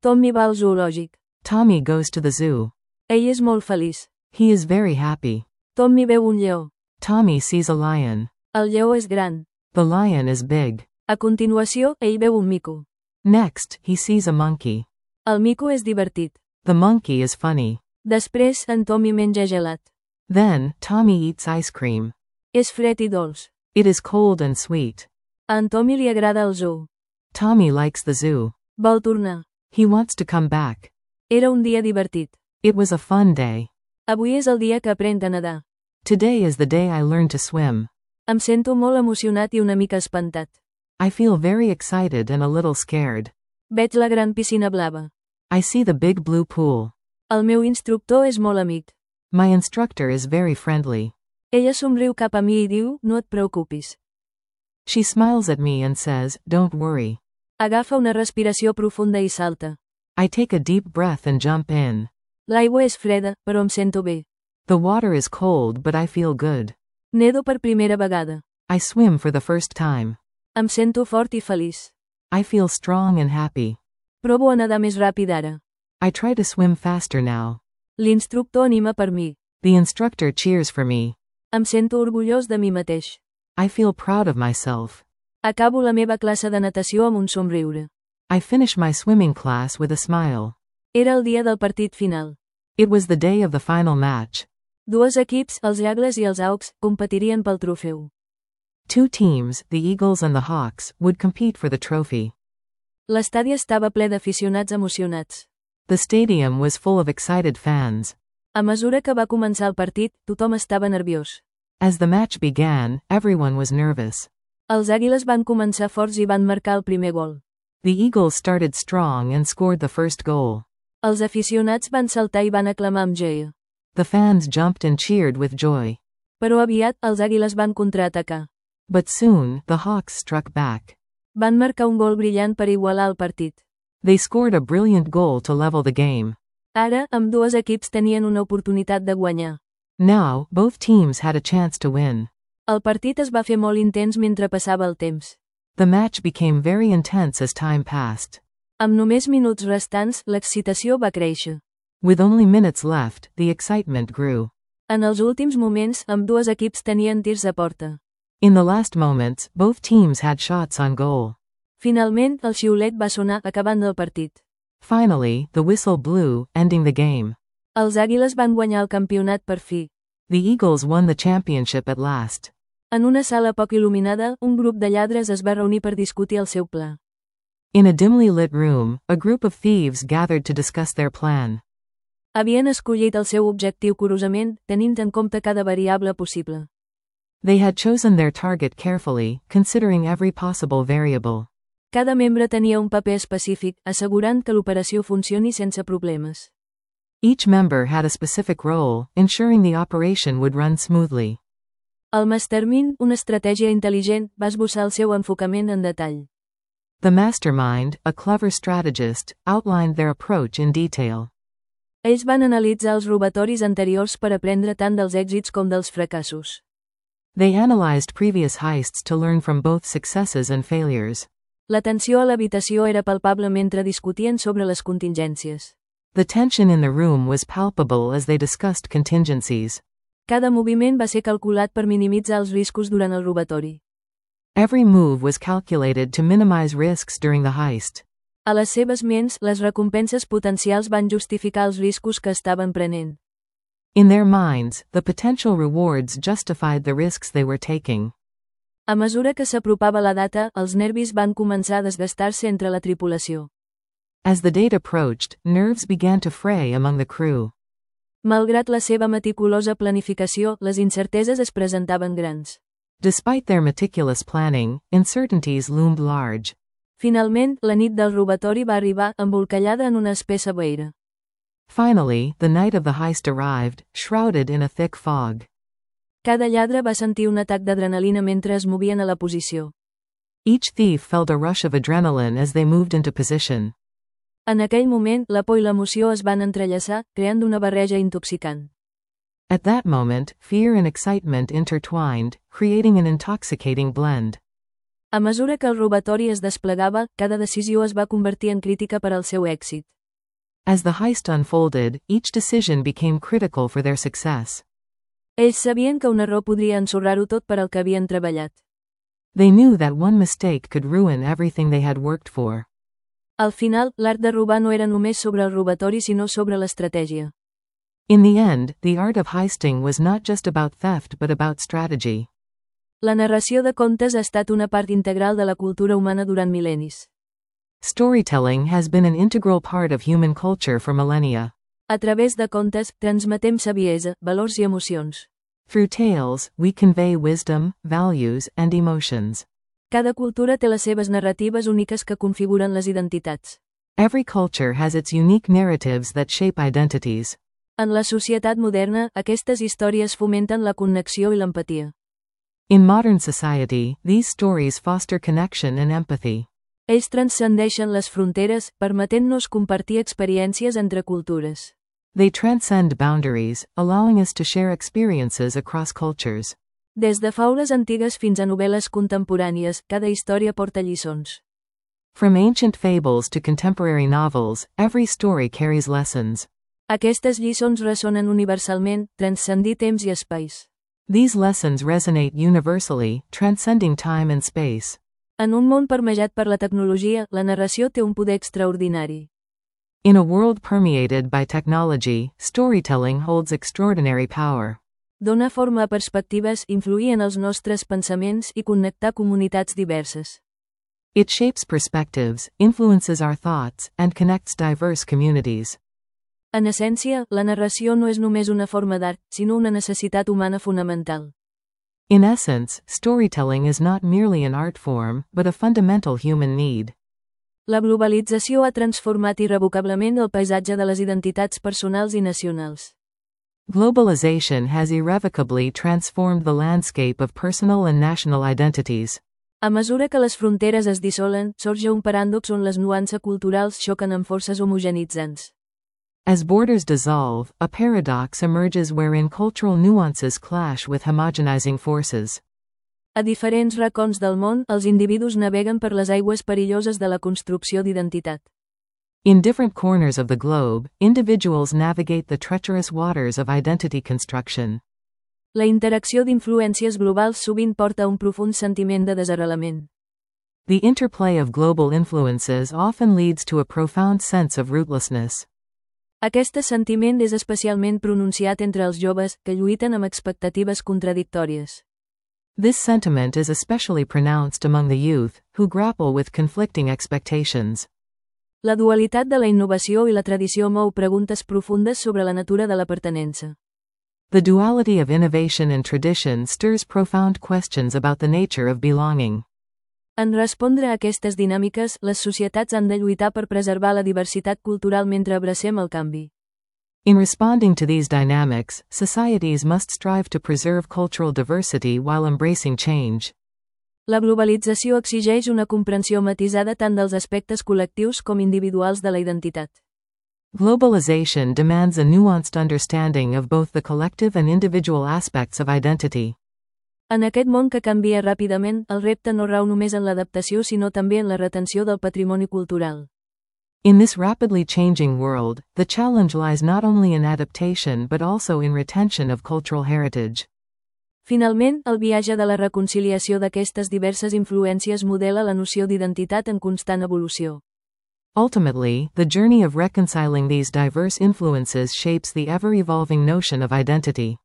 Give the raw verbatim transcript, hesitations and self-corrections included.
Tommy va al zoològic. Tommy goes to the zoo. Ell és molt feliç. He is very happy. Tommy veu un lleó. Tommy sees a lion. El lleó és gran. The lion is big. A continuació, ell veu un mico. Next, he sees a monkey. El mico és divertit. The monkey is funny. Després, en Tommy menja gelat. Then, Tommy eats ice cream. És fred i dolç. It is cold and sweet. A en Tommy li agrada el zoo. Tommy likes the zoo. Vol tornar. He wants to come back. Era un dia divertit. It was a fun day. Avui és el dia que aprenc a nedar. Today is the day I learned to swim. Em sento molt emocionat i una mica espantat. I feel very excited and a little scared. Veig la gran piscina blava. I see the big blue pool. El meu instructor és molt amic. My instructor is very friendly. Ella somriu cap a mi i diu, no et preocupis. She smiles at me and says, don't worry. Agafa una respiració profunda i salta. I take a deep breath and jump in. L'aigua és freda, però em sento bé. The water is cold but I feel good. Nedo per primera vegada. I swim for the first time. Em sento fort i feliç. I feel strong and happy. Provo a nedar més ràpid ara. I try to swim faster now. L'instructor anima per mi. The instructor cheers for me. Em sento orgullós de mi mateix. I feel proud of myself. Acabo la meva classe de natació amb un somriure. I finish my swimming class with a smile. Era el dia del partit final. It was the day of the final match. Dos equips, els Eagles i els Hawks, competirien pel trofeu. Two teams, the Eagles and the Hawks, would compete for the trophy. L'estadi estava ple d'aficionats emocionats. The stadium was full of excited fans. A mesura que va començar el partit, tothom estava nerviós. As the match began, everyone was nervous. Els Àguiles van començar forts i van marcar el primer gol. The Eagles started strong and scored the first goal. Els aficionats van saltar i van aclamar amb joia. The fans jumped and cheered with joy. Però aviat, els Àguiles van contraatacar. But soon, the Hawks struck back. Van marcar un gol brillant per igualar el partit. They scored a brilliant goal to level the game. Ara, ambdues equips tenien una oportunitat de guanyar. Now, both teams had a chance to win. El partit es va fer molt intens mentre passava el temps. The match became very intense as time passed. Amb només minuts restants, l'excitació va créixer. With only minutes left, the excitement grew. En els últims moments, ambdues equips tenien tirs a porta. In the last moments, both teams had shots on goal. Finalment, el xiulet va sonar acabant el partit. Finally, the whistle blew, ending the game. Els Àguiles van guanyar el campionat per fi. The Eagles won the championship at last. En una sala poc il·luminada, un grup de lladres es va reunir per discutir el seu pla. In a dimly lit room, a group of thieves gathered to discuss their plan. Havien escollit el seu objectiu curosament, tenint en compte cada variable possible. They had chosen their target carefully, considering every possible variable. Cada membre tenia un paper específic, assegurant que l'operació funcioni sense problemes. Each member had a specific role, ensuring the operation would run smoothly. El mastermind, una estratègia intel·ligent, va esbossar el seu enfocament en detall. The mastermind, a clever strategist, outlined their approach in detail. Ells van analitzar els robatoris anteriors per aprendre tant dels èxits com dels fracassos. They analyzed previous heists to learn from both successes and failures. La tensió a l'habitació era palpable mentre discutien sobre les contingències. The tension in the room was palpable as they discussed contingencies. Cada moviment va ser calculat per minimitzar els riscos durant el robatori. Every move was calculated to minimize risks during the heist. A les seves ments, les recompenses potencials van justificar els riscos que estaven prenent. In their minds, the potential rewards justified the risks they were taking. A mesura que s'apropava la data, els nervis van començar a desgastar-se entre la tripulació. As the date approached, nerves began to fray among the crew. Malgrat la seva meticulosa planificació, les incerteses es presentaven grans. Despite their meticulous planning, uncertainties loomed large. Finalment, la nit del robatori va arribar, embolcallada en una espessa boira. Finally, the night of the heist arrived, shrouded in a thick fog. Cada lladre va sentir un atac d'adrenalina mentre es movien a la posició. Each thief felt a rush of adrenaline as they moved into position. En aquell moment, la por i l'emoció es van entrellaçar, creant una barreja intoxicant. At that moment, fear and excitement intertwined, creating an intoxicating blend. A mesura que el robatori es desplegava, cada decisió es va convertir en crítica per al seu èxit. As the heist unfolded, each decision became critical for their success. Ells sabien que un error podria ensorrar-ho tot per al que havien treballat. They knew that one mistake could ruin everything they had worked for. Al final, l'art de robar no era només sobre el robatori sinó sobre l'estratègia. In the end, the art of heisting was not just about theft but about strategy. La narració de contes ha estat una part integral de la cultura humana durant mil·lennis. Storytelling has been an integral part of human culture for millennia. A través de contes, transmetem saviesa, valors i emocions. Through tales, we convey wisdom, values, and emotions. Cada cultura té les seves narratives úniques que configuren les identitats. Every culture has its unique narratives that shape identities. En la societat moderna, aquestes històries fomenten la connexió i l'empatia. In modern society, these stories foster connection and empathy. Ells transcendeixen les fronteres, permetent-nos compartir experiències entre cultures. They transcend boundaries, allowing us to share experiences across cultures. Des de faules antigues fins a novel·les contemporànies, cada història porta lliçons. From ancient fables to contemporary novels, every story carries lessons. Aquestes lliçons ressonen universalment, transcendir temps i espais. These lessons resonate universally, transcending time and space. En un món permejat per la tecnologia, la narració té un poder extraordinari. In a world permeated by technology, storytelling holds extraordinary power. Donar forma a perspectives, influir en els nostres pensaments i connectar comunitats diverses. It shapes perspectives, influences our thoughts, and connects diverse communities. En essència, la narració no és només una forma d'art, sinó una necessitat humana fonamental. In essence, storytelling is not merely an art form, but a fundamental human need. La globalització ha transformat irrevocablement el paisatge de les identitats personals i nacionals. Globalization has irrevocably transformed the landscape of personal and national identities. A mesura que les fronteres es dissolen, sorge un paràdox on les nuances culturals xoquen amb forces homogenitzants. As borders dissolve, a paradox emerges wherein cultural nuances clash with homogenizing forces. A diferents racons del món, els individus naveguen per les aigües perilloses de la construcció d'identitat. In different corners of the globe, individuals navigate the treacherous waters of identity construction. La interacció d'influències globals sovint porta a un profund sentiment de desarrelament. The interplay of global influences often leads to a profound sense of rootlessness. Aquest sentiment és especialment pronunciat entre els joves, que lluiten amb expectatives contradictòries. This sentiment is especially pronounced among the youth, who grapple with conflicting expectations. La dualitat de la innovació i la tradició mou preguntes profundes sobre la natura de la pertinença. The duality of innovation and tradition stirs profound questions about the nature of belonging. En respondre a aquestes dinàmiques, les societats han de lluitar per preservar la diversitat cultural mentre abracem el canvi. In responding to these dynamics, societies must strive to preserve cultural diversity while embracing change. La globalització exigeix una comprensió matisada tant dels aspectes col·lectius com individuals de la identitat. Globalization demands a nuanced understanding of both the collective and individual aspects of identity. En aquest món que canvia ràpidament, el repte no rau només en l'adaptació sinó també en la retenció del patrimoni cultural. In this rapidly changing world, the challenge lies not only in adaptation but also in retention of cultural heritage. Finalment, el viatge de la reconciliació d'aquestes diverses influències modela la noció d'identitat en constant evolució. Ultimately, the journey of reconciling these diverse influences shapes the ever-evolving notion of identity.